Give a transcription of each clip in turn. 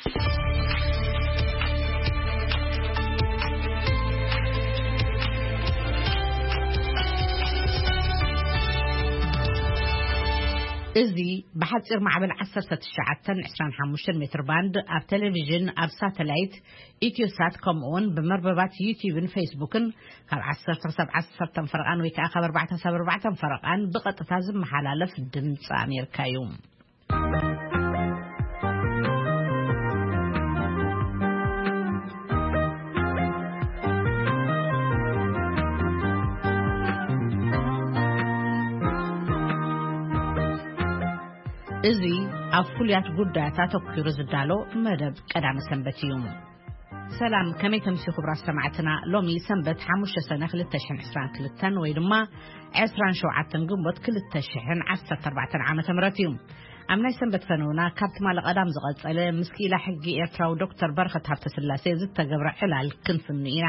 እዚ ብሓጺር ማዕበል ዓሰርተ ትሽዓተ ዕስራን ሓሙሽተን ሜትር ባንድ ኣብ ቴሌቪዥን፣ ኣብ ሳተላይት፣ ኢትዮሳት፣ ከምኡውን ብመርበባት ዩቲዩብን ፌስቡክን ካብ ዓሰርተ ክሳብ ዓሰርተ ፈረቓን ወይ ከዓ ካብ ኣርባዕተ ክሳብ ኣርባዕተ ፈረቓን ብቐጥታ ዝመሓላለፍ ድምፂ ኣሜሪካ እዩ። እዚ ኣብ ፍሉያት ጉዳያት ኣተኲሩ ዝዳሎ መደብ ቀዳመ ሰንበት እዩ። ሰላም፣ ከመይ ተምሲ ክቡራት ሰማዕትና? ሎሚ ሰንበት ሓሙሽተ ሰነ ክልተ ሽሕን ዕስራን ክልተን ወይ ድማ ዕስራን ሸውዓተን ግንቦት ክልተ ሽሕን ዓሰርተ ኣርባዕተን ዓመተ ምህረት እዩ። ኣብ ናይ ሰንበት ፈነውና ካብ ትማሊ ቀዳም ዝቐጸለ ምስ ክኢላ ሕጊ ኤርትራዊ ዶክተር በረኸት ሃብተስላሴ ዝተገብረ ዕላል ክንፍኑ ኢና።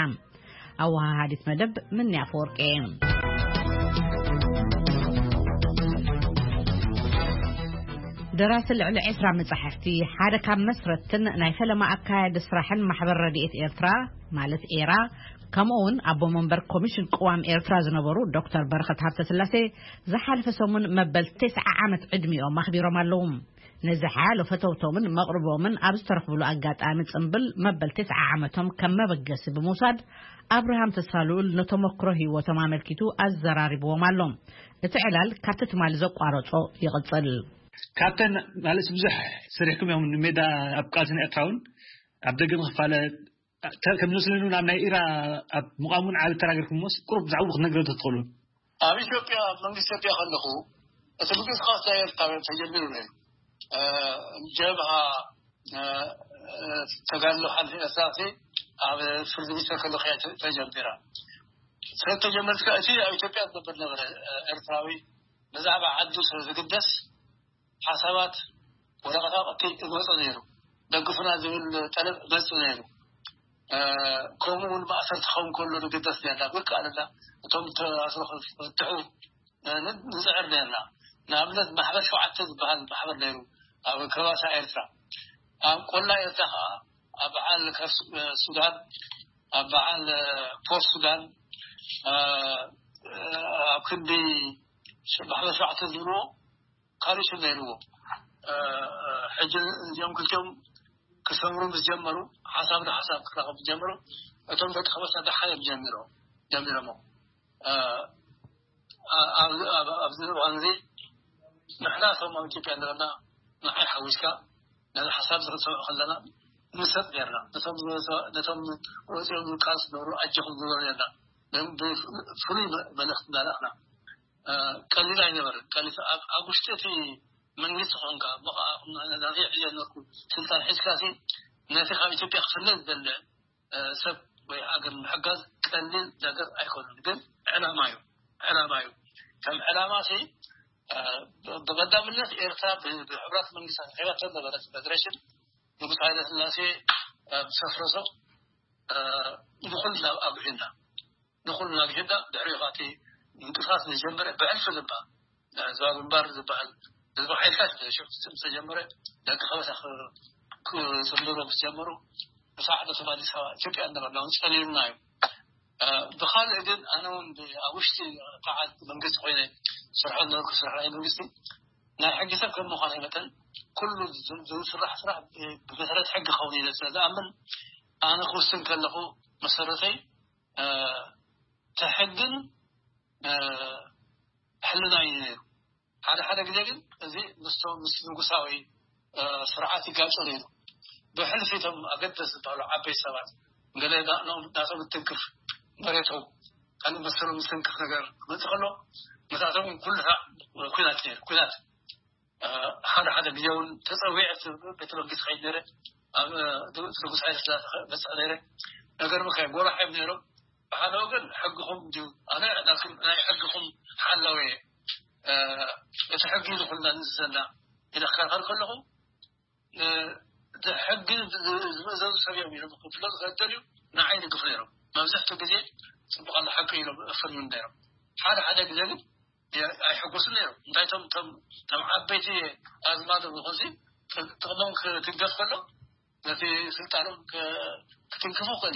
ኣወሃሃዲት መደብ ምንያ ኣፈወርቂ። ደራሲ ልዕሊ ዕስራ መጻሕፍቲ፣ ሓደ ካብ መስረትን ናይ ፈለማ ኣካያዲ ስራሕን ማሕበር ረድኤት ኤርትራ ማለት ኤራ፣ ከምኡ እውን ኣቦ መንበር ኮሚሽን ቅዋም ኤርትራ ዝነበሩ ዶክተር በረኸት ሃብተስላሴ ዝሓለፈ ሰሙን መበል ተስዓ ዓመት ዕድሚኦም ኣኽቢሮም ኣለዉ። ነዚ ሓያሎ ፈተውቶምን መቕርቦምን ኣብ ዝተረኽብሉ ኣጋጣሚ ጽምብል መበል ተስዓ ዓመቶም ከም መበገሲ ብምውሳድ ኣብርሃም ተስፋልኡል ነተመክሮ ህይወቶም ኣመልኪቱ ኣዘራሪብዎም ኣሎ። እቲ ዕላል ካብቲ ትማሊ ዘቋረጾ ይቕጽል። ካብተን ማለት ብዙሕ ሰሪሕኩም እዮም ንሜዳ ኣብ ቃልስን ኤርትራ እውን ኣብ ደገ ንኽፋለ ከም ዝመስለኒ እውን ኣብ ናይ ኢራ ኣብ ምቋም እውን ዓቢ ተራ ገርኩምዎስ ቁሩብ ብዛዕባኡ ክትነግረን ተትኽእሉ። ኣብ ኢትዮጵያ ኣብ መንግስቲ ኢትዮጵያ ከለኹ እቲ ምንቅስቃስ ናይ ኤርትራውያን ተጀሚሩ ነይሩ። ጀብሃ ተጋድሎ ሓልፊ ኤርትራ ኣብ ፍርዲ ሚኒስተር ከለኹ እያ ተጀሚራ። ስለተጀመረት ከኣ እቲ ኣብ ኢትዮጵያ ዝነብር ነበረ ኤርትራዊ ብዛዕባ ዓዱ ስለ ዝግደስ ሓሳባት ወረቐት ኣቐቲ እመጾ ነይሩ። ደግፉና ዝብል ጠለብ እመጽእ ነይሩ። ከምኡ እውን ማእሰርቲ ክኸውን ከሎ ንግደስ ነርና። ብከኣለና እቶም ተኣስሮ ክፍትሑ ንጽዕር ነርና። ንኣብነት ማሕበር ሸውዓተ ዝበሃል ማሕበር ነይሩ ኣብ ከባሳ ኤርትራ፣ ኣብ ቆላ ኤርትራ ከዓ ኣብ በዓል ከርስ ሱዳን፣ ኣብ በዓል ፖርት ሱዳን፣ ኣብ ክንዲ ማሕበር ሸውዓተ ዝብልዎ ካልእ ሽም ነይርዎ። ሕጂ እዚኦም ክልቲኦም ክሰምሩ ምስ ጀመሩ፣ ሓሳብ ንሓሳብ ክራኸቡ ምስ ጀመሩ፣ እቶም ደቂ ከበሳ ደሓን እዮም ጀሚሮም ጀሚሮሞ። ኣብዚ እዋን እዚ ንሕና እቶም ኣብ ኢትዮጵያ ዘለና ንዓይ ሓዊስካ ነዚ ሓሳብ ክንሰምዖ ከለና ንሰጥ ነርና። ነቶም ወፂኦም ዝቃስ ዝነበሩ ኣጀኹም ዝበሉ ነርና። ብፍሉይ መልእኽቲ እናለእኽና ቀሊል ኣይነበረን። ቀሊል ኣብ ውሽጢ እቲ መንግስቲ ኮንካ እሞ ከዓ ናተይ ዕዮ ነበርኩ ስልጣን ሒዝካ ሲ ነቲ ካብ ኢትዮጵያ ክፍለ ዝደለ ሰብ ወይ ሃገር ምሕጋዝ ቀሊል ነገር ኣይኮነን። ግን ዕላማ እዩ፣ ዕላማ እዩ። ከም ዕላማ ሲ ብቐዳምነት ኤርትራ ብሕቡራት መንግስታት ሂባቶ ነበረት ፌደሬሽን ንጉስ ሃይለ ስላሴ ሰፍረሶ ንኹልና ኣብዒና ንኹልና ኣግሂዳ ድሕሪኡ እቲ ምንቅስቃስ ዝጀመረ ብሕልፊ ልባ ዞባ ግንባር ዝበሃል ህዝቢ ሓይልታት ሽዑ ዝተጀመረ ደቂ ከበሳ ክፅምብሮ ምስ ጀመሩ ብሳዕ ነቶም ኣዲስ ኣበባ ኢትዮጵያ እናበልና እውን ፀሊሉና እዩ። ብካልእ ግን ኣነ እውን ኣብ ውሽጢ ከዓ መንግስቲ ኮይነ ስርሖ ነበርኩ ስራሕ ናይ መንግስቲ ናይ ሕጊ ሰብ ከም ምኳነይ መጠን ኩሉ ዝስራሕ ስራሕ ብመሰረት ሕጊ ክኸውን ኢለ ስለ ዝኣምን ኣነ ክውስን ከለኹ መሰረተይ እቲ ሕግን ሕልና እዩ ነይሩ። ሓደ ሓደ ግዜ ግን እዚ ምስቶም ምስ ንጉሳዊ ስርዓት ይጋጨ ነይሩ። ብሕልፊ እቶም ኣገደስ ዝበሃሉ ዓበይቲ ሰባት ገለ ናቶም እትንክፍ መሬቶም ካልእ መሰሎም ዝትንክፍ ነገር ክመፅእ ከሎ መሳቶም ኩሉ ኩናት ነይሩ። ኩናት ሓደ ሓደ ግዜ እውን ተፀዊዐ ቤተ መንግስቲ ከይድ ነይረ ኣብ ንጉስ ሃይለ ስላሴ መፅእ ነይረ። ነገር ምካይ ጎራሕ እዮም ነይሮም። ብሓደ ወገን ሕግኹም ድዩ ኣነ ናይ ሕግኹም ሓላዊ እየ። እቲ ሕጊ ንኩልና ንዘና ኢለ ክከርኸር ከለኹ እቲ ሕጊ ዝምእዘዙ ሰብ እዮም ኢሎም ክፍለጡ ከደልዩ ንዓይ ይድግፉ ነይሮም። መብዛሕትኡ ግዜ ፅቡቅ ኣሎ ሓቂ ኢሎም እፍርም ነይሮም። ሓደ ሓደ ግዜ ግን ኣይሕጎስን ነይሮም። እንታይ ቶም ቶም ዓበይቲ ኣዝማዶም ይኹንሲ ጥቕሞም ክትንገፍ ከሎ ነቲ ስልጣኖም ክትንክፉ ክእል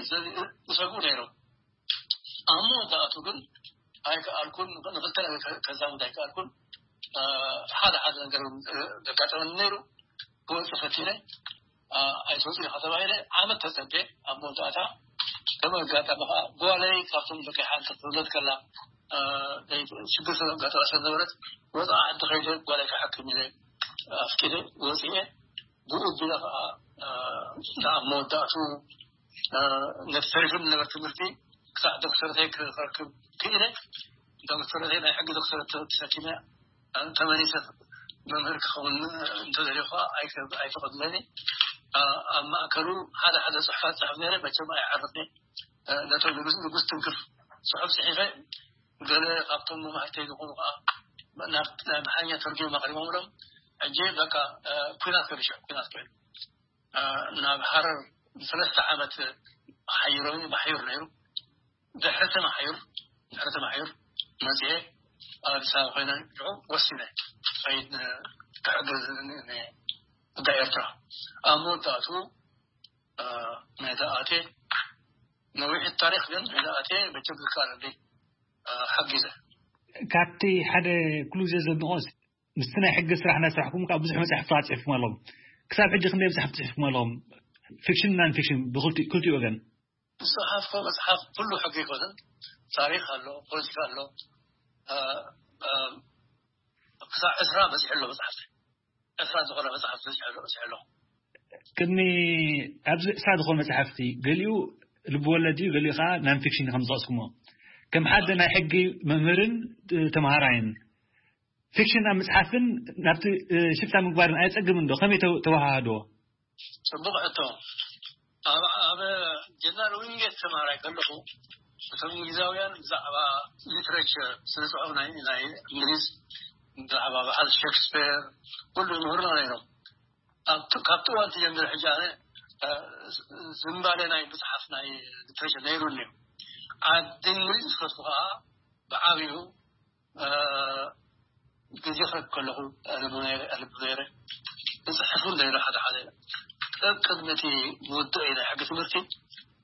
ዝሰግኡ ነይሮም። ኣብ መወዳእቱ ግን ኣይከኣልኩን። ንክልተ ነገር ከዛምድ ኣይከኣልኩን። ሓደ ሓደ ነገር ዘጋጠመኒ ነይሩ። ክወፅእ ፈቲነ ኣይትወፅእ ኢኻ ተባሂለ ዓመት ተፀቤ። ኣብ መወዳእታ ከም ኣጋጣሚ ከዓ ጓለይ ካብቶም ደቂ ሓንቲ ክትውለድ ከላ ሽግር ስለጋጠማ ስለነበረት ወፃ ዓዲ ከይደ ጓለይ ክሓክም ኢለ ኣፍቂደ ወፅኤ። ብኡ ቢለ ከዓ ኣብ መወዳእቱ ነቲ ተሪፉ ዝነበረ ትምህርቲ ክሳዕ ዶክተረተይ ክረክብ ክኢለ። ዶክተረተይ ናይ ሕጊ ዶክተረት ተሰኪመ ተመሊሰ መምህር ክኸውን እንተደልዩ ከዓ ኣይፈቐድለኒ። ኣብ ማእከሉ ሓደ ሓደ ፅሑፋት ፅሕፍ ነረ መቸም ኣይዓርፍኒ። ነቶም ንጉስ ንጉስ ትንክፍ ፅሑፍ ፅሒፈ ገለ ካብቶም መማህርተይ ዝኾኑ ከዓ ናብ ኣምሓርኛ ተርጊሞም ኣቕሪቦምሎም። ሕጂ በቃ ኩናት ከብሸ ኩናት ኮይኑ ናብ ሃረር ሰለስተ ዓመት ሓይሮኒ ማሕዩር ነይሩ። ድሕሪ ተማሕዩር ድሕሪ ተማሕዩር መፅኤ ኣብ ኣዲስ ኣበባ ኮይነ ሽዑ ወሲነ ከይድ ክሕግዝ ጉዳይ ኤርትራ። ኣብ መወዳእቱ ናይታ ኣቴ ነዊሕ ታሪክ ግን ናይታ ኣቴ መቸም ዝካለለይ ሓጊዘ። ካብቲ ሓደ ኩሉ ግዜ ዘድንቆስ ምስቲ ናይ ሕጊ ስራሕ እናስራሕኩም ካብ ብዙሕ መፅሓፍቲ ጽሒፍኩም ኣለኹም። ክሳብ ሕጂ ክንደይ መፅሓፍቲ ጽሒፍኩም ኣለኹም? ፊክሽን ናን ፊክሽን ብክልቲኡ ወገን። ዝፅሓፍኮ መፅሓፍ ኩሉ ሕጊ ኣይኮነን። ታሪክ ኣሎ፣ ፖለቲካ ኣሎ። ክሳብ ዕስራ በፂሑ ኣሎ መፅሓፍቲ። ዕስራ ዝኾነ መፅሓፍቲ በፂሑ ኣሎ። ቅድሚ ኣብዚ ዕስራ ዝኾነ መፅሓፍቲ ገሊኡ ልብወለድ እዩ፣ ገሊኡ ከዓ ናን ፊክሽን ከም ዝጠቕስኩሞ ከም ሓደ ናይ ሕጊ መምህርን ተምሃራይን ፊክሽን ኣብ ምፅሓፍን ናብቲ ሽፍታ ምግባርን ኣየፀግምን ዶ? ከመይ ተወሃሃድዎ? ፅቡቕ ሕቶ። ኣብ ጀነራል ዊንጌት ተምሃራይ ከለኹ እቶም እንግሊዛውያን ብዛዕባ ሊትሬቸር ስነ ፅሑፍ ናይ እንግሊዝ ብዛዕባ በዓል ሸክስፔር ኩሉ ይምህሩና ነይሮም። ካብቲ እዋን ትጀምር ሕጂ ኣነ ዝንባለ ናይ ምፅሓፍ ናይ ሊትሬቸር ነይሩኒ እዩ። ዓዲ እንግሊዝ ዝፈትኩ ከዓ ብዓብዩ ግዜ ክረክ ከለኹ ኣልቡ ነይረ። እፅሕፉ ነይረ ሓደ ሓደ ቅድሚ እቲ ምውድእ ናይ ሕጊ ትምህርቲ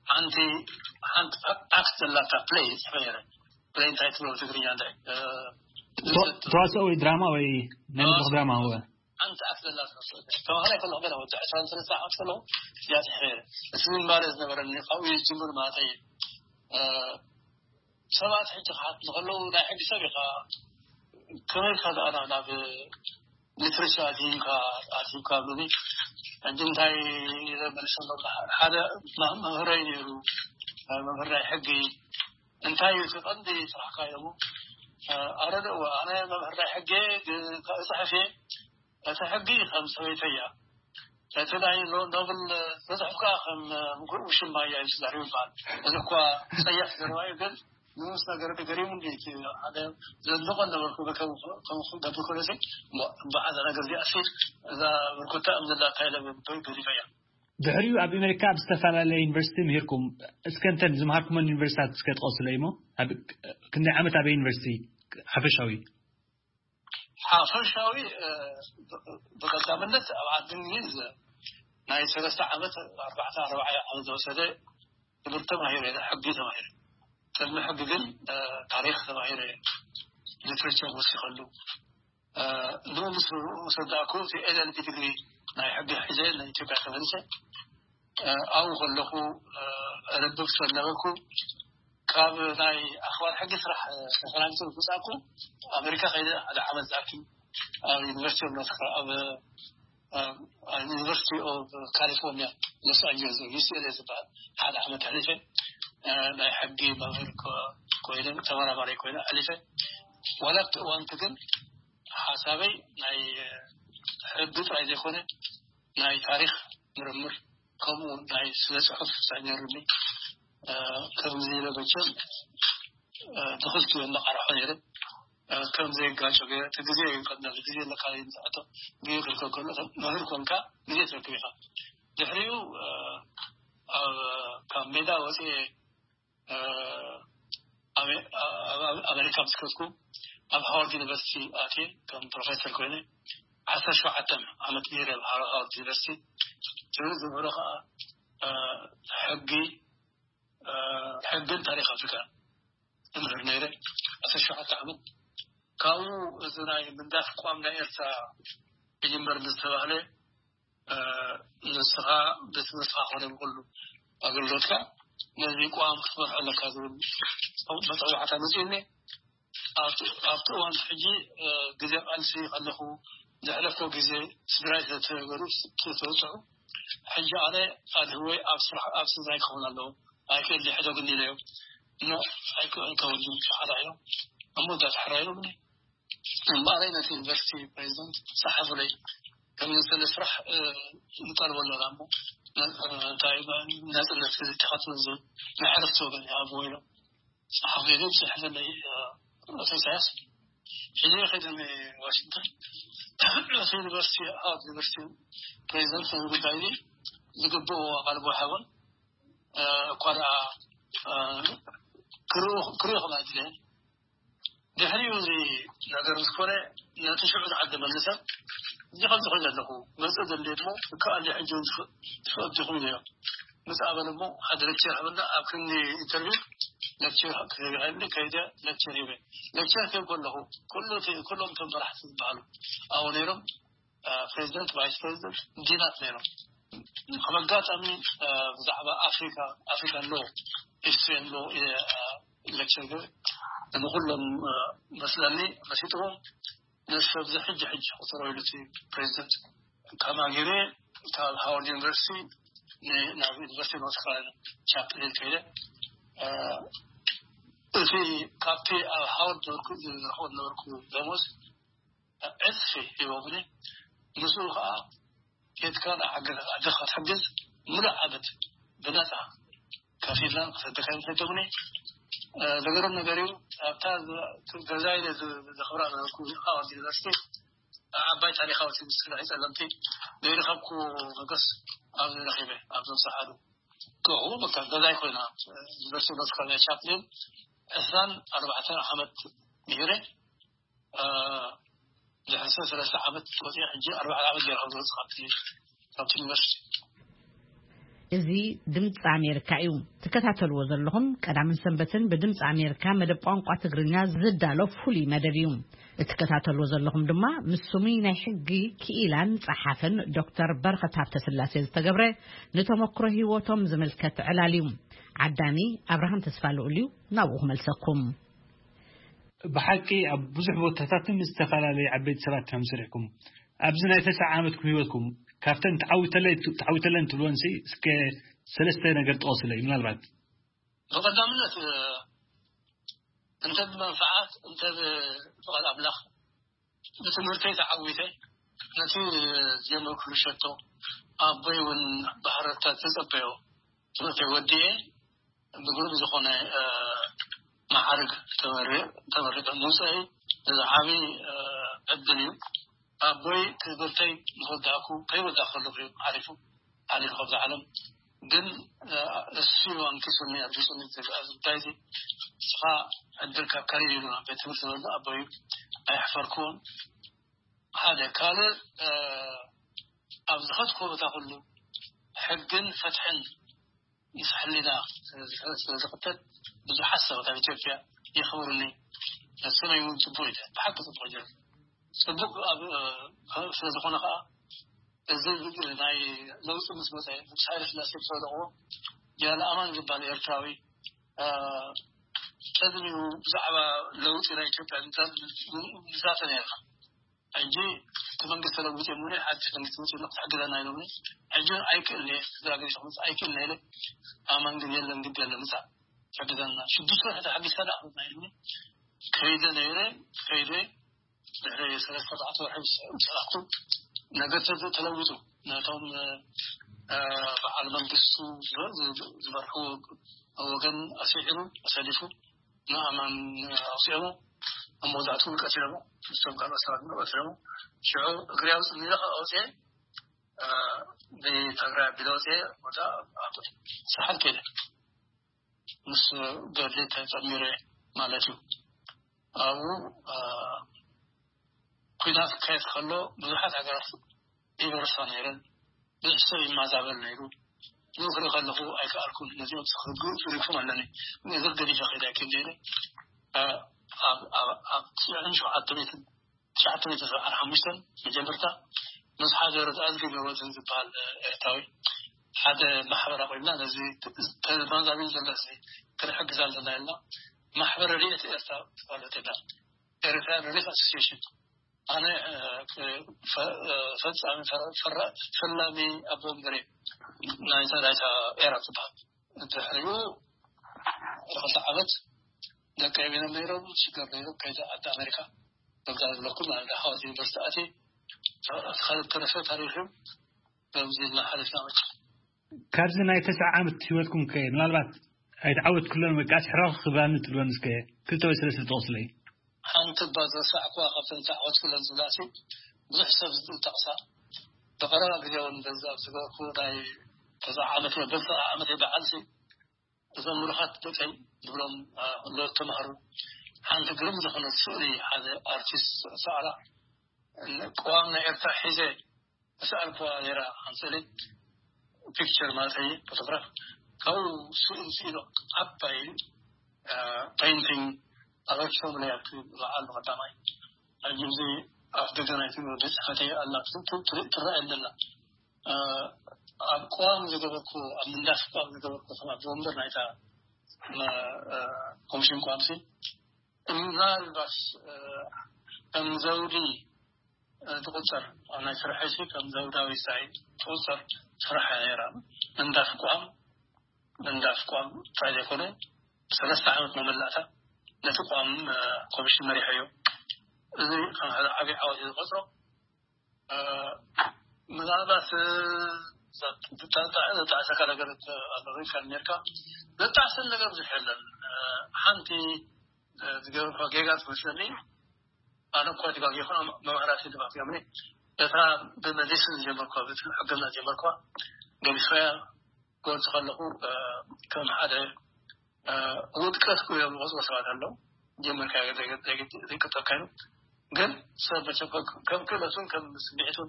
ሓንቲ ሓንቲ ኣክት ዘላታ ፕሌይ ይፅሕፈ ነይረ። ፕሌይ እንታይ ትብሎ ትግርኛ እንታይ ተዋስኦ ወይ ድራማ ወይ ናይ መድረክ ድራማ? ሓንቲ ኣክት ዘላ ተዋህላይ ከለኹ ገና ወዲ ዕስራን ሰለስተ ዓመት ከለኹ እያ ፅሕፈ ነይረ። እቲ ዝንባለ ዝነበረኒ ካብኡ ይጅምር ማለት እዩ። ሰባት ሕጂ ክሓትኒ ከለዉ ናይ ሕጊ ሰብ ኢኻ ከመይ ኢልካ ደኣ ናብ ሊትሬቸር ኣትሂምካ ኣትሂምካ ኣብሉኒ። ሕጂ እንታይ ኢለ መልሰሎም ሓደ መምህረይ ነይሩ መምህር ናይ ሕጊ እንታይ እዩ እቲ ቀንዲ ስራሕካ ኢሎሞ ኣረደእዎ ኣነ መምህር ናይ ሕጊ ግን እፅሕፍ እየ እቲ ሕጊ ከም ሰበይተይ እያ እቲ ናይ ኖብል ተፅሕፍ ከዓ ከም ምኩእ ውሽማ እያ እዩ ተዛሪቡ ይበሃል። እዚ እኳ ፀያፍ ዘረባ እዩ ግን ንኡስ ነገር ገሪሙ እንዲ እቲ ሓደ ዘድንቆ ነበርኩ ከም ክገብር ኮለሲ በዓዛ ነገር እዚኣ ሲ እዛ ብርኩታ እምዝላ እንታይ ለበ ገዲፈ እያ። ድሕሪኡ ኣብ ኣሜሪካ ኣብ ዝተፈላለየ ዩኒቨርሲቲ ምሂርኩም እስከ እንተን ዝምሃርኩመን ዩኒቨርሲታት እስከ ጥቀሱለይ እሞ ክንደይ ዓመት ኣበይ ዩኒቨርሲቲ ሓፈሻዊ? ሓፈሻዊ ብቀዳምነት ኣብ ዓዲ እንግሊዝ ናይ ሰለስተ ዓመት ኣርባዕተ ኣርባዓ ዓመት ዝወሰደ ትምህርቲ ተማሂረ ሕጊ ተማሂረ ቅድሚ ሕጊ ግን ታሪክ ተማሂረ ሊትሬቸር ወሲኸሉ ንኡ ምስ ወሰዳእኩ እቲ ኤል ኤል ቢ ዲግሪ ናይ ሕጊ ሒዘ ንኢትዮጵያ ተመሊሰ ኣብኡ ከለኹ ረብብ ስለነበርኩ ካብ ናይ ኣኽባር ሕጊ ስራሕ ተፈናኒቱ ዝወፃእኩ ኣሜሪካ ከይደ ሓደ ዓመት ዝኣክል ኣብ ዩኒቨርሲቲ ኦፍ ኖርት ኣብ ዩኒቨርሲቲ ኦፍ ካሊፎርኒያ ሎስ ኣንጀለስ ዩ ሲ ኤል ኤ ዝበሃል ሓደ ዓመት ኣሕሊፈ ናይ ሕጊ መምህር ኮይነ ተመራማሪ ኮይነ ኣሕሊፈ ዋላ ኣብቲ እዋንቲ ግን ሓሳበይ ናይ ሕጊ ጥራይ ዘይኮነ ናይ ታሪክ ምርምር ከምኡ ናይ ስነ ፅሑፍ ሳይነሩኒ ከምዚ ኢለ መቸም ብክልቲኡ መቃርሖ ነይረ ከም ዘይጋጮ ገይረ እቲ ግዜ እዩ ቀዳም ግዜ ኣለካ ዝሕቶ ግዜ ክርከብ ከሎ መምህር ኮንካ ግዜ ትረክብ ኢኻ ድሕሪኡ ካብ ሜዳ ወፅኤ ኣሜሪካ ምስ ከድኩ ኣብ ሃዋርድ ዩኒቨርሲቲ ኣትየ ከም ፕሮፌሰር ኮይነ ዓሰርተ ሸውዓተ ዓመት ገይረ ኣብ ሃርቫርድ ዩኒቨርሲቲ። ዝብሎ ከዓ ሕጊ ሕግን ታሪክ ኣፍሪካ እምህር ነይረ። ዓሰርተ ሸውዓተ ዓመት ካብኡ እዚ ናይ ምንዳፍ ቋም ናይ ኤርትራ ይጅመር ዝተባህለ ንስኻ ብትምህርትኻ ኮነ ብኩሉ ኣገልግሎትካ ነዚ ቋም ክትመርሖ ኣለካ ዝብል መፀዋዕታ መፅኡኒ። ኣብቲ እዋን ሕጂ ግዜ ቃልሲ ከለኹ ዘሕለፍኮ ግዜ ስድራይ ስለተገሩ ተወፅዑ። ሕጂ ኣነ ኣድህወይ ኣብ ስራሕ ኣብ ስድራይ ክኸውን ኣለዎ ኣይክእል ሕደጉኒ ኢለዮም። ኖ ኣይከውን ሓራ እዮም። እሞ እንዳተሕራ ኢሎምኒ እምበኣረይ ነቲ ዩኒቨርሲቲ ፕሬዚደንት ጸሓፉለይ። ከም ዝሰለ ስራሕ ንጠልቦ ኣለና እሞ እንታይ ናጽነት ተኸትሉ ዝብል ንሕርፍቲ ወገን ይሃብዎ ኢሎም ጸሓፉ ኢሎም ጽሕፍለይ። ኣቶ ኢሳያስ ሕጂ ከይደ ዋሽንግተን እቲ ዩኒቨርሲቲ ሃዋርድ ዩኒቨርሲቲ ፕሬዚደንት ነዚ ጉዳይ እዚ ዝግብኦ ኣቓልቦ ይሃቦን እኳ ደኣ ክርእኹም ኣይድልየን። ድሕሪኡ እዚ ነገር ምስ ኮነ ነቲ ሽዑ ዝዓደመኒ ሰብ እዚ ከምዚ ኮይኑ ኣለኹ መፅእ ዘለ እሞ እከኣለ ሕጂ ትፈቅድ ዲኹም ኢለዮ። ምስ ኣበለ እሞ ሓደ ሌክቸር ሃበና ኣብ ክንዲ ኢንተርቪው ሌክቸር ክህብ ይኽእል ከይደ ሌክቸር ሂበ። ሌክቸር ክህብ ከለኹ ኩሎም እቶም መራሕቲ ዝበሃሉ ኣብኡ ነይሮም። ፕሬዚደንት ቫይስ ፕሬዚደንት ዲናት ነይሮም። ከም ኣጋጣሚ ብዛዕባ ኣፍሪካ ኣፍሪካ ሎ ሂስትሪ ሎ ሌክቸር ንኩሎም መስለኒ መሲጥዎም። ነዚ ሰብ እዚ ሕጂ ሕጂ ቁፅሮ ኢሉ እቲ ፕሬዚደንት ካብ ኣጊሬ ካብ ሃዋርድ ዩኒቨርሲቲ ናብ ዩኒቨርሲቲ ኖርት ካሮላይና ቻፕል ሂል ከይደ እቲ ካብቲ ኣብ ሃዋርድ ነበርኩ ዝረክቦ ነበርኩ ደሞዝ ዕፅፊ ሂቦምኒ። ምስኡ ከዓ ኬድካ ንዓገ ኣደኻ ትሕግዝ ምሉእ ዓመት ብነፃ ከፊልና ክሰደካ ይፈተሙኒ። ነገሮም ነገር እዩ። ኣብታ ገዛ ኢለ ዘኽብራ ነበርኩ ኣብ ዩኒቨርሲቲ ዓባይ ታሪካዊ ስብስብ ናይ ፀለምቲ ዘይረኸብኩ መገስ ኣብዚ ረኺበ ኣብዞም ሰሓዱ ክኹ በቃ ገዛይ ኮይና ዩኒቨርሲቲ ኖርት ካሮላይና ቻፕሊን ዕስራን ኣርባዕተን ዓመት ምሂረ። ድሕሪ ሰለስተ ዓመት ወፂአ ሕጂ ኣርባዕተ ዓመት ገይረ ዝወፅእ ካብቲ ዩኒቨርሲቲ። እዚ ድምፂ ኣሜሪካ እዩ ትከታተልዎ ዘለኹም። ቀዳምን ሰንበትን ብድምፂ ኣሜሪካ መደብ ቋንቋ ትግርኛ ዝዳሎ ፍሉይ መደብ እዩ። እትከታተልዎ ዘለኹም ድማ ምስ ስሙይ ናይ ሕጊ ክኢላን ጸሓፍን ዶክተር በረኸት ሃብተስላሴ ዝተገብረ ንተመክሮ ህይወቶም ዝምልከት ዕላል እዩ። ዓዳኒ ኣብርሃም ተስፋ ልኡል እዩ ናብኡ ክመልሰኩም። ብሓቂ ኣብ ብዙሕ ቦታታትን ምስ ዝተፈላለዩ ዓበይቲ ሰባት ከም ስሪሕኩም ኣብዚ ናይ ተስዓ ዓመትኩም ህይወትኩም ካብተን ተዓዊተለይ ተዓዊተለን ትብልወን ሲ እስከ ሰለስተ ነገር ጥቐሱለይ ምናልባት። ብቐዳምነት እንተ ብመንፍዓት እንተ ብፍቓድ ኣምላኽ ብትምህርተይ ተዓዊተ ነቲ ዝጀመርኩሉ ሸቶ ኣቦይ እውን ብሃረርታ ዝተጸበዮ ትምህርተይ ወዲኤ ብግሩም ዝኾነ መዓርግ ተመሪቐ ምውፀኢ እዚ ዓብዪ ዕድል እዩ። ኣቦይ ትምህርተይ ምስ ወዳእኩ ከይወዳእ ከለኹ እዩ ዓሪፉ ሓሊፉ ካብዛ ዓለም። ግን እሱ እዩ ኣንኪሱኒ ኣድሪሱኒ ኣብዚ ጉዳይ እዚ። ንስኻ ዕድልካ ከሪር ኢሉ ናብ ቤት ትምህርቲ ዝበሎ ኣቦይ ኣየሕፈርክዎን። ሓደ ካልእ ኣብ ዝኸድኩዎ ቦታ ኩሉ ሕግን ፍትሕን ምስ ሕሊና ስለ ዝኽተል ብዙሓት ሰባት ኣብ ኢትዮጵያ የኽብሩኒ። ሰመይ እውን ፅቡቅ እዩ ብሓቂ ፅቡቅ ጀር ፅቡቅ ኣብ ስለ ዝኾነ ከዓ እዚ ናይ ለውጢ ምስ መፀ ንጉስ ሃይለ ስላሴ ዝወደቕዎ ጀነራል ኣማን ዝበሃል ኤርትራዊ ቀድሚኡ ብዛዕባ ለውጢ ናይ ኢትዮጵያ ንዛተ ነርና። ሕጂ እቲ መንግስቲ ተለዊጡ እሞ ሓድሽ መንግስቲ መፂኡ ክትሕግዘና ኢሎምኒ። ሕጂ እውን ኣይክእልን እየ ስድራ ገዲፈ ክመፅእ ኣይክእልን እየ ኢለ ኣማን ግን የለን ግዲ የለን ምፃእ ትሕግዘና ሽዱሽተ ወርሒ ተሓጊዝካ ደኣ ክመፅና ኢሉኒ። ከይደ ነይረ ከይደ ድሕሪ ሰለስተ ኣርባዕተ ወርሒ ምስ ሰራሕኩ ነገር ተለዊጡ ነቶም በዓል መንግስቱ ዝመርሑ ወገን ኣስዒሩ ኣሰሊፉ ንኣማን ኣውፅኦሞ ኣብ መወዳእትኡ እውን ቀቲሎሞ ምስቶም ካልኦት ሰባት እውን ቀቲሎሞ ሽዑ እግሪ ኣውፅእ ኢለ ከዓ ኣውፅኤ ብትግራይ ኣቢለ ኣውፅኤ ወዳ ኣብ ሰሓል ከይደ ምስ ገድሊ ተፀሚረ ማለት እዩ ኣብኡ ኩናት ክካየድ ከሎ ብዙሓት ሃገራት ይበርሳ ነይረን። ብዙሕ ሰብ ይማዛበል ነይሩ። ንክርኢ ከለኹ ኣይከኣልኩን። ነዚኦም ክርግኡ ትሪፉም ኣለኒ። ነዞም ገዲፈ ከይደ ኣይክእል ነይረ። ኣብ ኣብ ኣብ ትሽዓን ሸውዓተ ሚእትን ትሽዓተ ሚእትን ሰብዓን ሓሙሽተን መጀመርታ ምስ ሓደ ርትኣት ገብረወዝን ዝበሃል ኤርትራዊ ሓደ ማሕበር ኣቑምና። ነዚ ተማዛቢል ዘሎ እዚ ክንሕግዝ ኣለና ኢልና ማሕበር ረድኤት ኤርትራ ዝበሃል ሆቴል፣ ኤርትራ ሪሊፍ ኣሶሲሽን። ኣነ ፈፃሚ ፈላሚ ኣቦ ወንበር ናይታ ናይታ ኤራ ትበሃል። ድሕሪኡ ክልተ ዓመት ደቀይ ቤኖም ነይሮም ሽገር ነይሮም ከይደ ዓዲ ኣሜሪካ በብዛ ዝብለኩም ማለት ሓወት ዩኒቨርሲቲ ኣቲ ካልእ ተረፈ ታሪክ እዩ። በብዚ እናሓለፍና መቸ ካብዚ ናይ ተስዓ ዓመት ህይወትኩም ከ ምናልባት ኣይትዓወት ክለን ወይ ከዓ ሕራኽ ክብላኒ ትብለን እስከ ክልተ ወይ ሰለስተ ጠቕስለይ። ሓንቲ እባ ዝረሳዕኩዋ ካብተን ተዓወት ክለን ዝብላሲ ብዙሕ ሰብ ዝጠቕሳ ብቐረባ ግዜ እውን በዚ ኣብ ዝገበርኩ ናይ ተስዓ ዓመት በዚ ዓመት በዓልሲ እዞም ምሩኻት ደቀይ ዝብሎም ሎ ተማሃሩ ሓንቲ ግርም ዝኾነት ስእሊ ሓደ ኣርቲስት ሰኣላ ቅዋም ናይ ኤርትራ ሒዘ ተሰኣልኩዋ ነይራ። ሓንቲ ስእሊ ፒክቸር ማለት እዩ ፎቶግራፍ ካብኡ ስእሊ ስኢሉ ዓባይ ፔይንቲንግ ኣበርኪቶም ናይ ኣብቲ በዓል ብቐዳማይ ሕጂ እዚ ኣፍ ደገ ናይቲ ቤት ጽሕፈተይ ኣላ ትረኣየኒ ኣላ። ኣብ ቅዋም ዝገበርኩ ኣብ ምንዳፍ ቅዋም ዝገበርኩ ከም ኣቦ ወንበር ናይታ ኮሚሽን ቅዋም ሲ ምናልባት ከም ዘውዲ ትቁጸር ኣብ ናይ ስርሐይ ሲ ከም ዘውዳዊ ሳይ ትቁጸር ስራሕ እያ ነይራ። ምንዳፍ ቅዋም ምንዳፍ ቅዋም ጥራይ ዘይኮነ ሰለስተ ዓመት መመላእታ ነቲ ቅዋም ኮሚሽን መሪሐዮ። እዚ ከም ሓደ ዓብዪ ዓወት እዩ ዝቆፅሮ። ምናልባት ዘጣዕሰካ ነገር ኣሎ ኢልካ ኔርካ። ዘጣዕሰን ነገር ብዙሕ የለን። ሓንቲ ዝገበርኳ ጌጋ ትመስለኒ። ኣነ እኳ ተጋጊኹ መማህራሲ ድባክ እዮምኒ እታ ብመዲስን ዝጀመርኳ ብሕክምና ዝጀመርኳ ገሊሶያ ክገልጹ ከለኹ ከም ሓደ ውድቀት እዮም ዝቆፅሮ ሰባት ኣለዉ። ጀመርካ ዘይቅጠልካ እዩ። ግን ሰብ መቸም ከም ክእለቱን ከም ስምዒቱን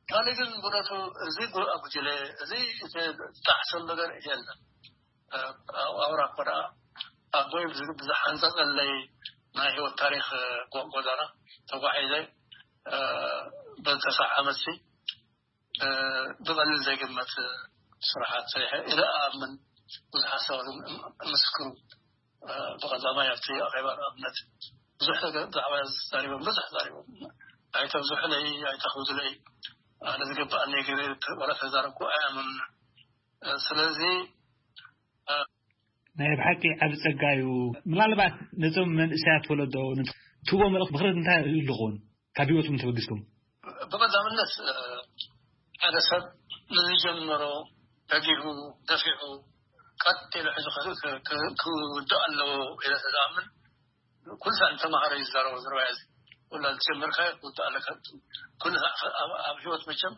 ካልእ ግን ብነቱ እዚ ጉ- ጉጅለ እዚ ዝተጣዕሰሉ ነገር የለን። ኣውራ እኮ ደኣ ኣቦይ ብዝ- ብዝሓንፀፀለይ ናይ ህይወት ታሪክ ጎ- ጎዛና ተጓዒዘ በተሰዓ ዓመት ሲ ብቐሊል ዘይግመት ስራሓት ሰሪሐ ኢለ እኣምን። ብዙሓት ሰባት ምስክሩ ብቐዳማይ ኣብቲ ኣኼባ ንኣብነት ብዙሕ ነገር ብዛዕባ ተዛሪቦም ብዙሕ ተዛሪቦም ኣይተብዝሑለይ ኣይተኽብዱለይ ኣነ ዝግብኣኒ ገይረ ወላ ተዛረብኩ ኣይኣምኑን። ስለዚ ናይ ብሓቂ ዓብ ጸጋ እዩ። ምናልባት ነቶም መንእሰያት ወለዶ ትህቦ መልእኽቲ ምኽሪ እንታይ ይህልኹን ካብ ህይወትኩም ተበጊስኩም? ብቐዳምነት ሓደ ሰብ ንዝጀመሮ ደጊፉ ደፊዑ ቀጥ ኢሉ ሕዚ ክውድእ ኣለዎ ኢለ ተዝኣምን ኩሉ ሰዓት ንተምሃሮ እዩ ዝዛረቦ ዝረባያ እዚ ኩላ ዝጀመርካዮ ክውድእ ኣለካ ኩሉ ሰዓት ኣብ ህይወት መቸም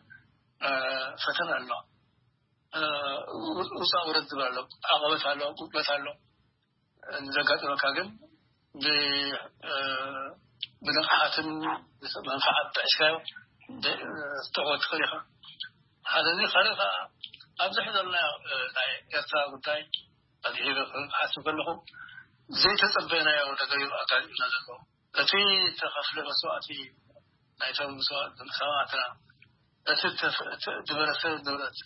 ፈተና ኣለዋ ውፃ ውረድ ዝብል ኣሎ ዓቐበት ኣሎ ጉድለት ኣሎ ንዘጋጥመካ ግን ብንቕሓትን መንፍዓት ጥዕስካዮ ክትዕወት ትኽእል ኢኻ ሓደ እዚ ካልእ ከዓ ኣብዚ ሕዘልና ናይ ኤርትራ ጉዳይ ኣድሂበ ክሓስብ ከለኹ ዘይተፀበናዮ ነገር እዩ ኣጋጢምና ዘሎ እቲ ተኸፍለ መስዋእቲ ናይቶም ሰማእትና እቲ ዝበረሰ ንብረት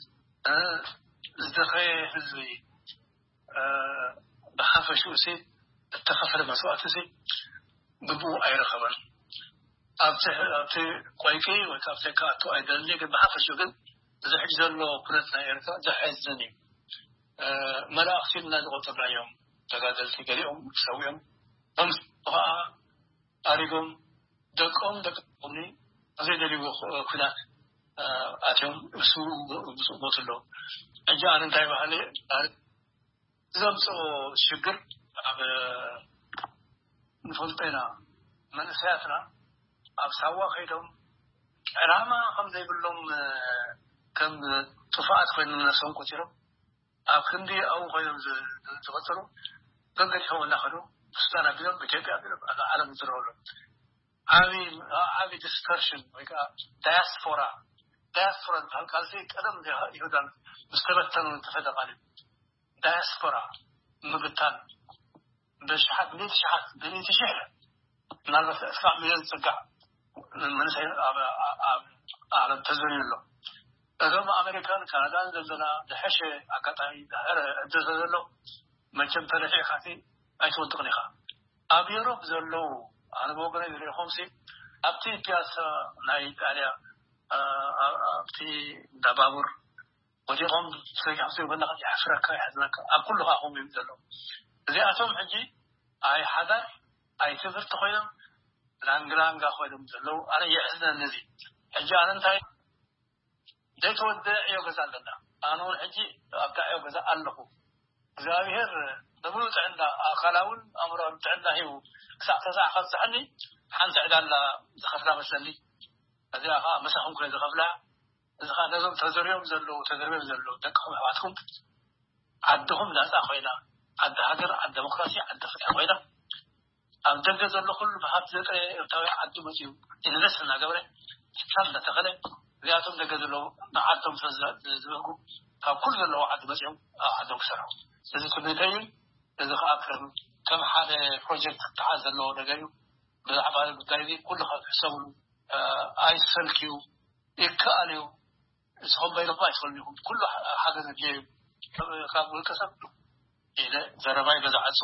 ዝደኸየ ህዝቢ ብሓፈሽኡ ሲ እተኸፈለ መስዋእቲ ሲ ግብኡ ኣይረኸበን ኣብቲ ኣብቲ ቆይቂ ወይ ካብቲ ከኣቱ ኣይደሊ ግን ብሓፈሽኡ ግን እዚ ሕጂ ዘሎ ኩነት ናይ ኤርትራ ዘሐዝን እዩ መላእኽቲ ኢልና ዝቆጠርናዮም ተጋደልቲ ገሊኦም ሰዊኦም ከምስ ከዓ ኣሪጎም ደቆም ደቂ ደቆምኒ ኣብ ዘይደልይዎ ኩናት ኣትዮም እሱ ምስኡ ሞቱ ኣለዉ። ሕጂ ኣነ እንታይ በሃለ ዘምፅኦ ሽግር ኣብ ንፈልጦ ኢና መንእሰያትና ኣብ ሳዋ ከይዶም ዕላማ ከም ዘይብሎም ከም ጥፉኣት ኮይኖም ነብሶም ቆፂሮም ኣብ ክንዲ ኣብኡ ኮይኖም ዝቐፀሉ ገንገዲፎም እናኸዱ ሱዳን ኣቢሎም ኢትዮጵያ ኣቢሎም ኣብ ዓለም ዝረብሉ ዓቢ ዓቢ ዲስፐርሽን ወይ ከዓ ዳያስፖራ፣ ዳያስፖራ ዝበሃል ቃል እዚ ቀደም ይሁዳ ምስ ተበተኑ ዝተፈደ ቃል እዩ። ዳያስፖራ ምብታን፣ ብሽሓት፣ ብሚእቲ ሽሓት፣ ብሚእቲ ሽሕ፣ ምናልባት እስካብ ሚልዮን ዝፅጋዕ መንእሰይ ኣብ ዓለም ተዘርዩ ኣሎ። እዞም ኣሜሪካን ካናዳን ዘለና ዝሐሸ ኣጋጣሚ፣ ዝሐረ እድል ዘሎ፣ መቸም ተረፊዕካ ኣይትወድቕን ኢኻ። ኣብ ዩሮፕ ዘለዉ፣ ኣነ ብወገነይ ዝሪእኹም ሲ ኣብቲ ፒያሳ ናይ ኢጣልያ፣ ኣብቲ እንዳ ባቡር ወዲቖም ሰጊሖም፣ ዘይብልና የሕፍረካ፣ የሕዝነካ። ኣብ ኩሉ ከዓ ከምኡ እዮም ዘለዉ። እዚኣቶም ሕጂ ኣይ ሓዳር ኣይ ትምህርቲ ኮይኖም፣ ላንግላንጋ ኮይኖም ዘለዉ። ኣነ የሕዝነኒ እዚ። ሕጂ ኣነ እንታይ ዘይተወደአ ዕዮ ገዛ ኣለና። ኣነ እውን ሕጂ ኣብታ ዕዮ ገዛ ኣለኹ። እግዚኣብሔር ብሙሉእ ጥዕና፣ ኣካላውን ኣእምሮኣውን ጥዕና ሂቡ ክሳዕ ተስዓ ካብፅሐኒ፣ ሓንቲ ዕዳ ኣላ ዝኸፍላ መስለኒ። እዚኣ ከዓ ምሳኹም ኮነ ዝኸፍላ። እዚ ከዓ ነዞም ተዘርዮም ዘለዉ፣ ተዘርዮም ዘለዉ ደቅኹም ኣሕዋትኩም፣ ዓድኹም ናፃ ኮይና፣ ዓዲ ሃገር፣ ዓዲ ዴሞክራሲ፣ ዓዲ ፍትሒ ኮይና፣ ኣብ ደገ ዘሎ ኩሉ ብሃብቲ ዘጥረየ ኤርትራዊ ዓዱ መፂኡ ኢንቨስት እናገበረ፣ ትካል እናተኸለ፣ እዚኣቶም ደገ ዘለዉ ንዓዶም ስለ ዝብህጉ፣ ካብ ኩሉ ዘለዉ ዓዲ መፂኦም ኣብ ዓዶም ክሰርሑ። እዚ ትምኒተይ እዩ። እዚ ከዓ ከም፣ ከም ሓደ ፕሮጀክት ክተሓዝ ዘለዎ ነገር እዩ። ብዛዕባ እዚ ጉዳይ እዚ ኩሉ ካብ ትሕሰብሉ፣ እ፣ ኣይትሰልክዩ፣ ይከኣል እዩ። ንስኹም በይንኹም ኣይትኽእሉን ኢኹም። ኩሉ ሓ-፣ ሓገዝ ኣድልዮ እዩ። ካብ፣ ካብ ውልቀ ሰብ ኢለ ዘረባይ በዚ ዓጹ።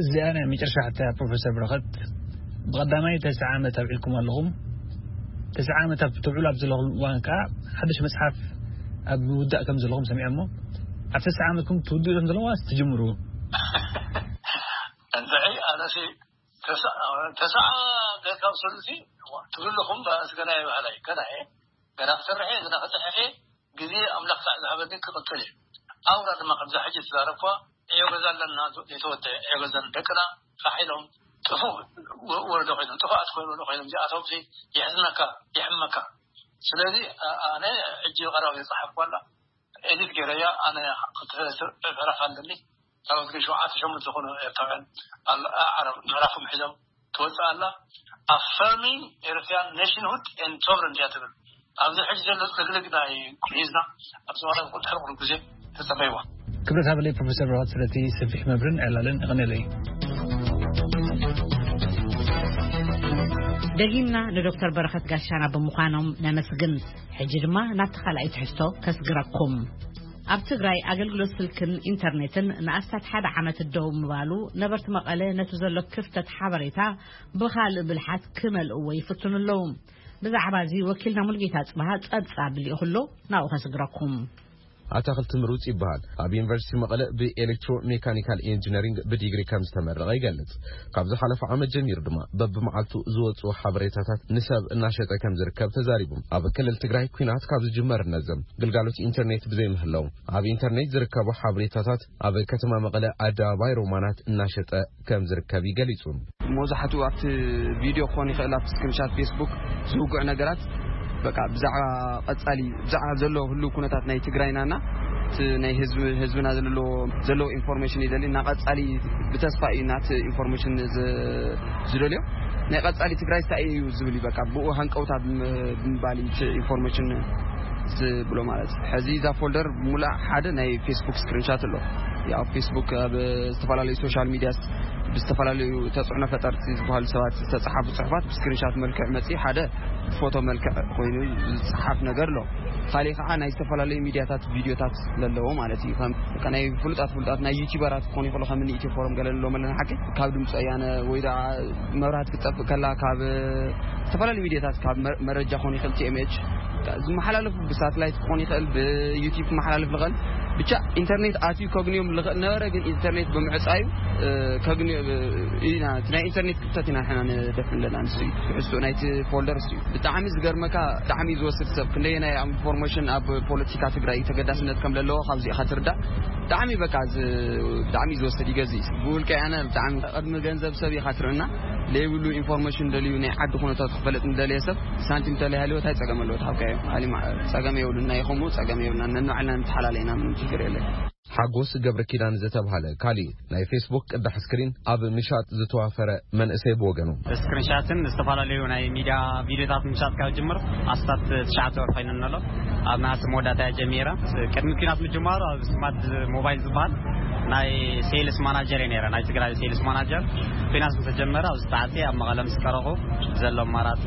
እዚኣ ናይ መጨረሻ ሕቶ እያ፣ ፕሮፌሰር በረኸት። ብቐዳማይ ተስዓ ዓመት ኣብዒልኩም ኣለኹም። ተስዓ ዓመት ኣብ ትውዕሉ ኣብ ዘለኹም እዋን ከኣ ሓድሽ መጽሓፍ ኣብ ምውዳእ ከም ዘለኹም ሰሚዐ እሞ፣ ኣብ ተስዓ ዓመትኩም ትውድኡ ኢኹም ዘለኹም ዋስ ትጅምሩ? እንድዒ፣ ኣነሲ ተስዓ፣ ተስዓ ደርካብ ሰሉሲ ትብልኹም፣ ኣስ ገና ይበሃል ኣይ፣ ገና እየ። ገና ክሰርሕ እየ፣ ገና ክጽሕፍ እየ። ግዜ ኣምላኽ ሳዕ ዝሃበኒ ክቕጽል እየ። ኣውራ ድማ ከምዛ ሕጂ ዝተዛረብኳ ዕዮ ገዛ ኣለና፣ ዘይተወደአ ዕዮ ገዛ ደቅና ፋሕ ኢሎም ጥፉእ ወ-፣ ወረዶ ኮይኖም፣ ጥፉኣት ወረዶ ኮይኖም፣ እዚኣቶምሲ የሕዝነካ፣ የሕመካ። ስለዚ ኣ-፣ ኣነ ሕጂ ቀረባ ዝጸሓፍኳ ኣላ፣ ኤዲት ገይረያ፣ ኣነ ክልተ ሰለስተ ዕረፍ ኣለኒ። ካልኦት ግን ሸውዓተ ሸሞንተ ዝኾኑ ኤርትራውያን ኣል-፣ ኣዕራብ ምዕራፎም ሒዞም ትወጽእ ኣላ። Affirming Eritrean Nationhood and Sovereignty እያ ትብል። ኣብዚ ሕጂ ዘሎ ጽግልግ ናይ ሒዝና ኣብ ዝባን ቁልጥሕር ቁልቁል ግዜ ተጸበይዋ። ክብረት ሃበለይ ፕሮፌሰር በረኸት ስለቲ ሰፊሕ መብርን ዕላልን እቕንለይ። ደጊምና ንዶክተር በረኸት ጋሻና ብምዃኖም ነመስግን። ሕጂ ድማ ናብቲ ካልኣይ ትሕዝቶ ከስግረኩም። ኣብ ትግራይ ኣገልግሎት ስልክን ኢንተርኔትን ንኣስታት ሓደ ዓመት ደው ምባሉ፣ ነበርቲ መቐለ ነቲ ዘሎ ክፍተት ሓበሬታ ብኻልእ ብልሓት ክመልእዎ ይፍትኑ ኣለዉ። ብዛዕባ እዚ ወኪልና ሙሉጌታ ጽብሃ ጸብጻብ ልኢኹ ኣሎ፣ ናብኡ ከስግረኩም። ኣታኽልቲ ምሩጽ ይበሃል። ኣብ ዩኒቨርሲቲ መቐለ ብኤሌክትሮ ሜካኒካል ኢንጂነሪንግ ብዲግሪ ከም ዝተመረቐ ይገልጽ። ካብ ዝሓለፈ ዓመት ጀሚሩ ድማ በብመዓልቱ ዝወጽኡ ሓበሬታታት ንሰብ እናሸጠ ከም ዝርከብ ተዛሪቡ። ኣብ ክልል ትግራይ ኲናት ካብ ዝጅመር እነዘም ግልጋሎት ኢንተርኔት ብዘይምህላው፣ ኣብ ኢንተርኔት ዝርከቡ ሓበሬታታት ኣብ ከተማ መቐለ ኣደባባይ ሮማናት እናሸጠ ከም ዝርከብ ይገሊጹ። መብዛሕትኡ ኣብቲ ቪድዮ ክኾን ይኽእል፣ ኣብቲ ስክሪንሻት ፌስቡክ ዝውግዑ ነገራት፣ በቃ ብዛዕባ ቀጻሊ፣ ብዛዕባ ዘሎ ህሉው ኩነታት ናይ ትግራይናና እቲ ናይ ህዝቢ፣ ህዝብና ዘለዎ፣ ዘለዎ ኢንፎርሜሽን ይደሊ። እና ቀጻሊ ብተስፋ እዩ ናቲ ኢንፎርሜሽን ዝ-፣ ዝደልዮ። ናይ ቀጻሊ ትግራይ እንታይ እዩ ዝብል እዩ፣ በቃ ብኡ ሃንቀውታ ብም-፣ ብምባል እዩ እቲ ኢንፎርሜሽን ዝብሎ ማለት እዩ። ሕዚ እዛ ፎልደር ሙሉእ ሓደ ናይ ፌስቡክ ስክሪንሻት ኣሎ። ያው ፌስቡክ ኣብ ዝተፈላለዩ ሶሻል ሚዲያስ ብዝተፈላለዩ ተጽዕኖ ፈጠርቲ ዝበሃሉ ሰባት ዝተጻሓፉ ጽሑፋት ብስክሪንሻት መልክዕ መጺኡ ሓደ ብፎቶ መልክዕ ኮይኑ ዝጸሓፍ ነገር ኣሎ። ካሊእ ከዓ ናይ ዝተፈላለዩ ሚዲያታት ቪዲዮታት ዘለዎ ማለት እዩ። ከም በቃ ናይ ፍሉጣት ፍሉጣት ናይ ዩቲዩበራት ክኾኑ ይኽእሉ፣ ከም እኒ ኢትዮ ፎረም ገለ ንብሎም ኣለና ሓቂ፣ ካብ ድምፂ ወያነ ወይ ደኣ መብራህቲ ክትጠፍእ ከላ ካብ ዝተፈላለዩ ሚዲያታት ካብ መ-፣ መረጃ ክኾን ይኽእል፣ ቲ ኤም ኤች ዝመሓላለፉ ብሳትላይት ክኾን ይኽእል፣ ብዩቲዩብ ክመሓላለፍ ዝኽእል፣ ብቻ ኢንተርኔት ኣትዩ ከግንዮም ዝኽእል ነበረ። ግን ኢንተርኔት ብምዕፃዩ፣ እ፣ ከግንዮ፣ እ፣ ኢና፣ እቲ ናይ ኢንተርኔት ክፍተት ኢና ንሕና ንደፍን ዘለና። ንሱ እዩ ትሕዝቶ ናይቲ ፎልደር፣ እሱ እዩ። ብጣዕሚ ዝገርመካ፣ ብጣዕሚ ዝወስድ ሰብ ክንደየናይ ኣብ ኢንፎርሜሽን ኣብ ፖለቲካ ትግራይ ተገዳስነት ከም ዘለዎ ካብዚ ኢኻ ትርዳእ። ብጣዕሚ በቃ ዝ-፣ ብጣዕሚ ዝወስድ ይገዝእ እዩ። ብውልቀ ኣነ ብጣዕሚ ቅድሚ ገንዘብ ሰብ ኢኻ ትርእና። ዘይብሉ ኢንፎርሜሽን ደልዩ ናይ ዓዲ ኩነታት ክፈልጥ ንደልየ ሰብ ሳንቲም ተለይሃልዎ እንታይ ጸገም ኣለዎ? ትሓብካዮ። ኣሊ ማ-፣ ጸገም የብሉን። ናይ ከምኡ ጸገም የብሉና። ነንባዕልና ንተሓላለና ምንም ችግር የለን። ሓጎስ ገብረ ኪዳን ዝተብሃለ ካሊ ናይ ፌስቡክ ቅዳሕ ስክሪን ኣብ ምሻጥ ዝተዋፈረ መንእሰይ ብወገኑ። ስክሪንሻትን ዝተፈላለዩ ናይ ሚዲያ ቪዲዮታት ምሻጥ ካብ ጅምር ኣስታት ትሽዓተ ወር ኮይኑ ኣሎ። ኣብ ነሃሲ መወዳእታ እያ ጀሚራ። ቅድሚ ኲናት ምጅማሩ ኣብ ስማርት ሞባይል ዝበሃል ናይ ሴልስ ማናጀር እየ ነይረ፣ ናይ ትግራይ ሴልስ ማናጀር። ኲናት ምስ ተጀመረ ኣብዚ ሰዓት ኣብ መቐለ ምስ ቀረኹ ዘሎ ኣማራፂ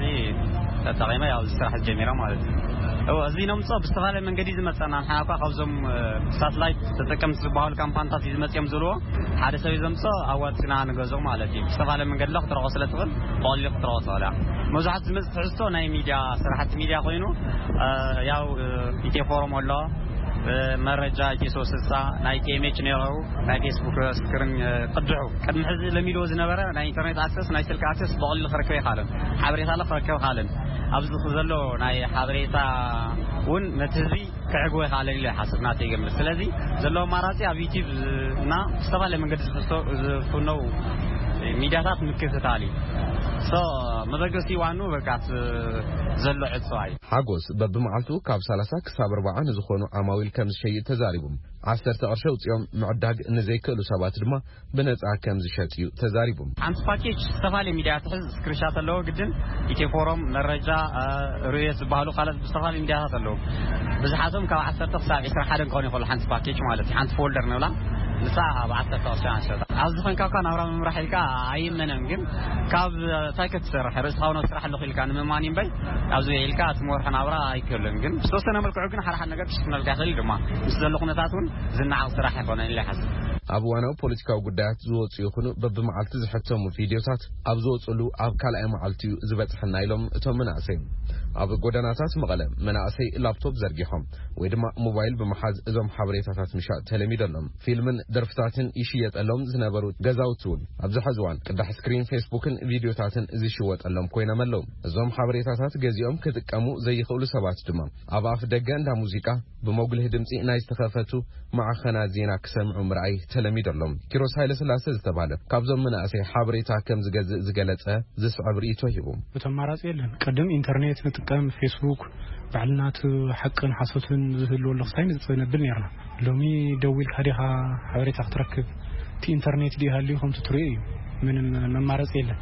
ተጠቒመ ያው እዚ ስራሕ ጀሚረ ማለት እዩ። እዎ፣ እዚ ነምፅኦ ብዝተፈላለየ መንገዲ ዝመፀና ንሕና እኳ ካብዞም፣ እ፣ ሳትላይት ተጠቀምቲ ዝበሃሉ ካምፓኒታት እዩ ዝመፅኦም ዝብልዎ ሓደ ሰብ እዩ ዘምፅኦ ኣዋፂና ንገዝኦ ማለት እዩ። ብዝተፈላለየ መንገዲ ላ ክትረኽቦ ስለ ትኽእል ብቐሊሉ ክትረኽቦ ትኽእል እያ። መብዛሕትኡ ዝመፅእ ትሕዝቶ ናይ ሚድያ ስራሕቲ ሚድያ ኮይኑ፣ እ፣ ያው፣ እ፣ ኢትዮ ፎረም ኣሎ፣ እ፣ መረጃ ኢትዮ ሶስት ስልሳ፣ ናይ ቲ ኤም ኤች ነይረው፣ ናይ ፌስቡክ ስክሪን፣ እ፣ ቅድሑ ቅድሚ ሕዚ ለሚድዎ ዝነበረ ናይ ኢንተርኔት ኣክሰስ፣ ናይ ስልክ ኣክሰስ ብቐሊሉ ክረክብ ይኻልን፣ ሓበሬታ ለ ክረክብ ይኻልን። ኣብዚ ዘሎ ናይ ሓበሬታ እውን ነቲ ህዝቢ ክዕግቦ ይኻልን ኢለ ይሓስብ ናተይ ግምት። ስለዚ ዘሎ ኣማራፂ ኣብ ዩቲዩብ እና ዝተፈላለየ መንገዲ ዝፍቶ-፣ ዝፍነው ሚድያታት ምክትታል እዩ። ሶ መበገሲ ዋኑ በቃ እቲ ዘሎ ዕፅዋ እዩ። ሓጎስ በብመዓልቱ ካብ ሰላሳ ክሳብ ኣርባዓ ንዝኾኑ ዓማዊል ከም ዝሸይጥ ተዛሪቡ። ዓሰርተ ቅርሺ ኣውፂኦም ምዕዳግ ንዘይክእሉ ሰባት ድማ ብነፃ ከም ዝሸጥ እዩ ተዛሪቡ። ሓንቲ ፓኬጅ ዝተፈላለየ ሚድያ ትሕዝ፣ ስክሪንሻት ኣለዎ ግድን፣ ኢትዮ ፎረም፣ መረጃ፣ እ፣ ርዕዮት ዝበሃሉ ካልኦት ብዝተፈላለዩ ሚድያታት ኣለዉ። ብዝሓቶም ካብ ዓሰርተ ክሳብ ዒስራ ሓደ ክኾን ይኽእሉ፣ ሓንቲ ፓኬጅ ማለት እዩ። ሓንቲ ፎልደር ንብላ፣ ንሳ ኣብ ዓሰርተ ቅርሺ ንሸጣ። ኣብዚ ኾንካ እኳ ናብራ ምምራሕ ኢልካ ኣይመነን፣ ግን ካብ እንታይ ክትሰርሕ፣ ርእስኻ እውን ኣብ ስራሕ ኣለኹ ኢልካ ንምእማን እዩ እምበይ፣ ኣብዚ ኢልካ እቲ መርሖ ናብራ ኣይክእልን። ግን ብዝተወሰነ መልክዑ ግን ሓደ ሓደ ነገር ክሽፍነልካ ይኽእል እዩ ድማ። ምስ ዘሎ ኩነታት እውን ዝነዓቕ ስራሕ ኣይኮነን ኢለ ይሓስብ። ኣብ እዋናዊ ፖለቲካዊ ጉዳያት ዝወፁ ይኹኑ በብመዓልቲ ዝሕተሙ ቪድዮታት ኣብ ዝወፅሉ ኣብ ካልኣይ መዓልቲ እዩ ዝበፅሐና ኢሎም እቶም መናእሰይ። ኣብ ጎደናታት መቐለ መናእሰይ ላፕቶፕ ዘርጊሖም ወይ ድማ ሞባይል ብምሓዝ እዞም ሓበሬታታት ምሻጥ ተለሚዶ ኣሎም። ፊልምን ደርፍታትን ይሽየጠሎም ዝነበሩ ገዛውቲ እውን ኣብዚ ሕዚ እዋን ቅዳሕ ስክሪን ፌስቡክን ቪድዮታትን ዝሽወጠሎም ኮይኖም ኣለዉ። እዞም ሓበሬታታት ገዚኦም ክጥቀሙ ዘይኽእሉ ሰባት ድማ ኣብ ኣፍ ደገ እንዳ ሙዚቃ ብመጉልህ ድምጺ ናይ ዝተኸፈቱ ማዕኸናት ዜና ክሰምዑ ምርኣይ ተለሚዱ ኣሎ። ኪሮስ ሃይለስላሴ ዝተባህለ ካብዞም መናእሰይ ሓበሬታ ከም ዝገዝእ ዝገለጸ ዝስዕብ ርእይቶ ሂቡ። እቲ ኣማራጺ የለን። ቅድም ኢንተርኔት ንጥቀም፣ ፌስቡክ፣ ባዕልና እቲ ሓቅን ሓሶትን ዝህልወሉ ክሳይ ንጽነብል ኔርና። ሎሚ ደዊልካ ዲኻ ሓበሬታ ክትረክብ? እቲ ኢንተርኔት ድዩ ሃልዩ ከምቲ ትሪኦ እዩ። ምንም መማረፂ የለን።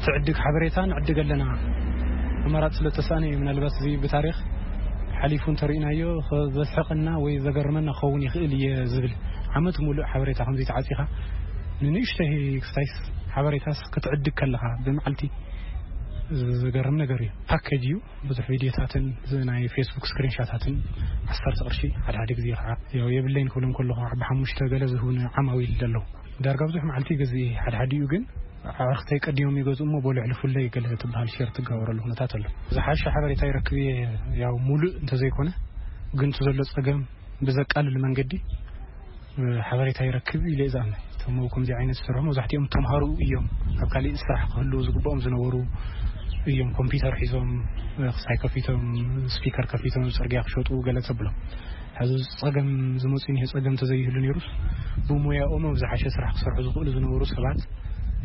ትዕድግ ሓበሬታ ንዕድግ ኣለና። ኣማራፂ ስለ ተሳእነ እዩ። ምናልባት እዚ ብታሪኽ ሓሊፉ እንተሪእናዮ ዘስሕቐና ወይ ዘገርመና ክኸውን ይኽእል እየ ዝብል። ዓመት ሙሉእ ሓበሬታ ከምዚ ተዓፂኻ ንንእሽተይ ክስታይስ ሓበሬታስ ክትዕድግ ከለኻ ብመዓልቲ ዝገርም ነገር እዩ። ፓኬጅ እዩ። ብዙሕ ቪድዮታትን ዝ-፣ ናይ ፌስቡክ ስክሪንሻታትን ዓሰርተ ቅርሺ፣ ሓደ ሓደ ግዜ ከዓ ያው የብለይን ክብሎም ከለኹ ከዓ ብሓሙሽተ ገለ ዝህቡኒ ዓማዊል ኣለዉ። ዳርጋ ብዙሕ መዓልቲ ይገዝእ እየ። ሓደ ሓዲኡ ግን ኣዕርኽተይ ቀዲሞም ይገዝኡ እሞ በሉ ሕልፉለይ ገለ ትበሃል ሼር ትጋበረሉ ኩነታት ኣሎ። ዝሓሸ ሓበሬታ ይረክብ እየ። ያው ሙሉእ እንተዘይኮነ ግን እቲ ዘሎ ጸገም ብዘቃልል መንገዲ ሓበሬታ ይረክብ ኢለ እየ ዝኣምን። እቶም ኣብ ከምዚ ዓይነት ዝሰርሑ መብዛሕትኦም ተምሃሮ እዮም። ኣብ ካሊእ ስራሕ ክህልዉ ዝግብኦም ዝነበሩ እዮም። ኮምፒውተር ሒዞም፣ ክሳይ ከፊቶም፣ ስፒከር ከፊቶም፣ ኣብ ጽርግያ ክሸጡ ገለ ተብሎም። ሕዚ ጸገም ዝመጽእ እኒሄ፣ ጸገም እንተዘይህሉ ነይሩስ ብሞያኦም ኣብ ዝሓሸ ስራሕ ክሰርሑ ዝኽእሉ ዝነበሩ ሰባት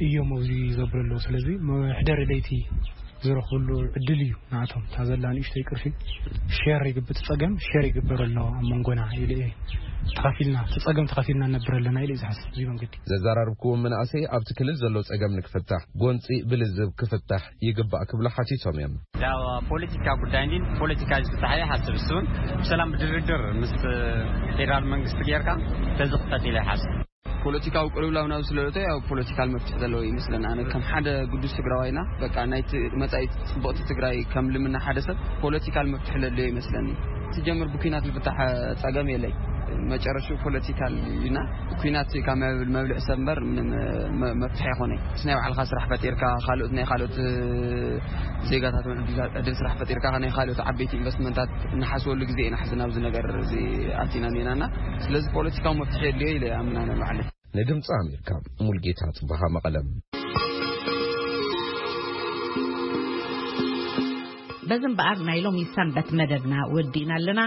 እዮም ኣብዚ ዘብሉ ኣለዉ። ስለዚ መሕደሪ ለይቲ ዝረኽብሉ ዕድል እዩ ንኣቶም። እታ ዘላ ንእሽተይ ቅርሺ ሼር ይግብ-፣ እቲ ጸገም ሼር ይግበር ኣሎ ኣብ መንጎና ኢለ እየ። ተኻፊልና፣ እቲ ጸገም ተኻፊልና ንነብር ኣለና ኢለ እየ ዝሓስብ። እዚ መንገዲ። ዘዘራርብክዎም መናእሰይ ኣብቲ ክልል ዘሎ ጸገም ንክፍታሕ ጎንጺ ብልዝብ ክፍታሕ ይግባእ ክብሉ ሓቲቶም እዮም። ያው ፖለቲካ ጉዳይ እንዲ ፖለቲካ ዝፍታሕ እየ ሓስብ። እሱን ብሰላም ብድርድር ምስ ፌደራል መንግስቲ ጌርካ ተዝኽፈት ኢለ ይሓስብ። ፖለቲካዊ ቅልውላው ናብ ስለለቶ ያው ፖለቲካል መፍትሒ ዘለዎ ይመስለና። ኣነ ከም ሓደ ግዱስ ትግራዋይና በቃ ናይቲ መጻኢ ጽቡቕቲ ትግራይ ከም ልምና ሓደ ሰብ ፖለቲካል መፍትሒ ለለዮ ይመስለኒ። ትጀምር ብኩናት ዝፍታሕ ጸገም የለይ። መጨረሹ ፖለቲካል እዩና። ኩናት ካብ መብል-፣ መብልዕ ሰብ እምበር ምንም መ-፣ መፍትሒ ኣይኮነይ። ምስ ናይ ባዕልኻ ስራሕ ፈጢርካ፣ ካልኦት ናይ ካልኦት ዜጋታት እውን ዕድል፣ ዕድል ስራሕ ፈጢርካ፣ ናይ ካልኦት ዓበይቲ ኢንቨስትመንታት እንሓስበሉ ግዜ ኢና ሕዚ ናብዚ ነገር እዚ ኣቲና ኔናና። ስለዚ ፖለቲካዊ መፍትሒ የድልዮ ኢለ ኣምና ንባዕለይ። ንድምፂ ኣሜሪካ ሙልጌታ ጽበሃ መቐለም። በዚ እምበኣር ናይ ሎሚ ሰንበት መደብና ወዲእና ኣለና።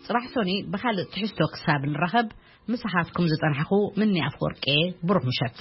ጽባሕ ሶኒ ብኻልእ ትሕዝቶ ክሳብ ንራኸብ፣ ምሳኻትኩም ዝጸናሕኹ ምኒ ኣፍወርቄ፣ ብሩኽ ምሸት።